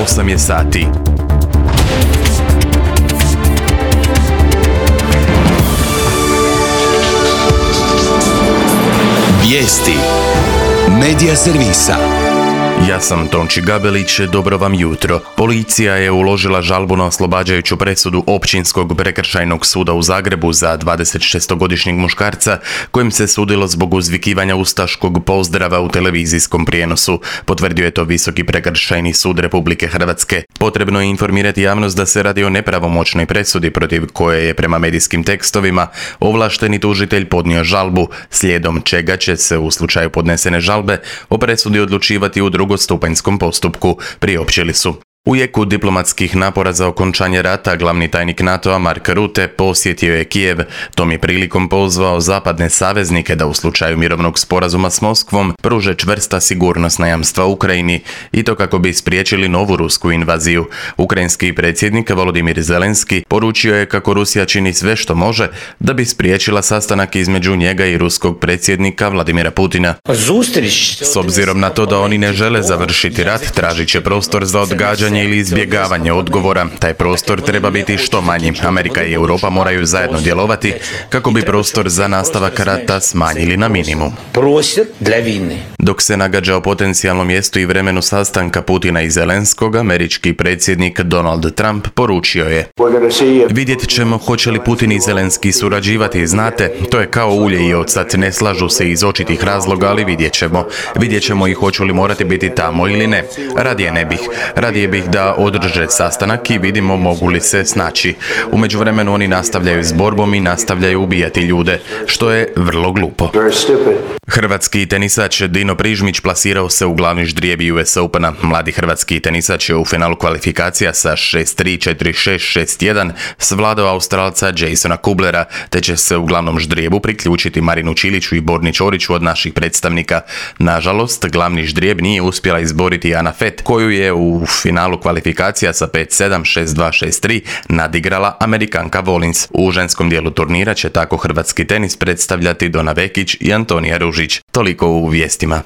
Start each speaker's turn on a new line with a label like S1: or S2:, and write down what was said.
S1: 8 je sati.
S2: Vijesti Medija servisa.
S1: Ja sam Tonči Gabelić, dobro vam jutro. Policija je uložila žalbu na oslobađajuću presudu Općinskog prekršajnog suda u Zagrebu za 26-godišnjeg muškarca kojem se sudilo zbog uzvikivanja ustaškog pozdrava u televizijskom prijenosu. Potvrdio je to Visoki prekršajni sud Republike Hrvatske. Potrebno je informirati javnost da se radi o nepravomoćnoj presudi protiv koje je prema medijskim tekstovima ovlašteni tužitelj podnio žalbu, slijedom čega će se u slučaju podnesene žalbe o presudi odlučivati u drugostupanjskom postupku, priopćili su. U jeku diplomatskih napora za okončanje rata, glavni tajnik NATO-a Mark Rutte posjetio je Kijev. Tom je prilikom pozvao zapadne saveznike da u slučaju mirovnog sporazuma s Moskvom pruže čvrsta sigurnosna jamstva Ukrajini i to kako bi spriječili novu rusku invaziju. Ukrajinski predsjednik Volodimir Zelenski poručio je kako Rusija čini sve što može da bi spriječila sastanak između njega i ruskog predsjednika Vladimira Putina. S obzirom na to da oni ne žele završiti rat, tražit će prostor za odgađanje ili izbjegavanje odgovora. Taj prostor treba biti što manji. Amerika i Europa moraju zajedno djelovati kako bi prostor za nastavak rata smanjili na minimum. Dok se nagađa o potencijalnom mjestu i vremenu sastanka Putina i Zelenskog, američki predsjednik Donald Trump poručio je: vidjet ćemo hoće li Putin i Zelenski surađivati, znate, to je kao ulje i ocat, ne slažu se iz očitih razloga, ali vidjet ćemo. Vidjet ćemo i hoću li morati biti tamo ili ne. Radije bih da održe sastanak i vidimo mogu li se snaći. U međuvremenu oni nastavljaju s borbom i nastavljaju ubijati ljude, što je vrlo glupo. Hrvatski tenisač Dino Prižmić plasirao se u glavni ždrijeb US Opena. Mladi hrvatski tenisač je u finalu kvalifikacija sa 6-3, 4-6, 6-1 svladao Australca Jasona Kublera, te će se u glavnom ždrijebu priključiti Marinu Čiliću i Borni Ćoriću od naših predstavnika. Nažalost, glavni ždrijeb nije uspjela izboriti Ana Fett, koju je u finalu kvalifikacija sa 5-7, 6-2, 6-3 nadigrala Amerikanka Volins. U ženskom dijelu turnira će tako hrvatski tenis predstavljati Dona Vekić i Antonija Ružić. Toliko u vijestima.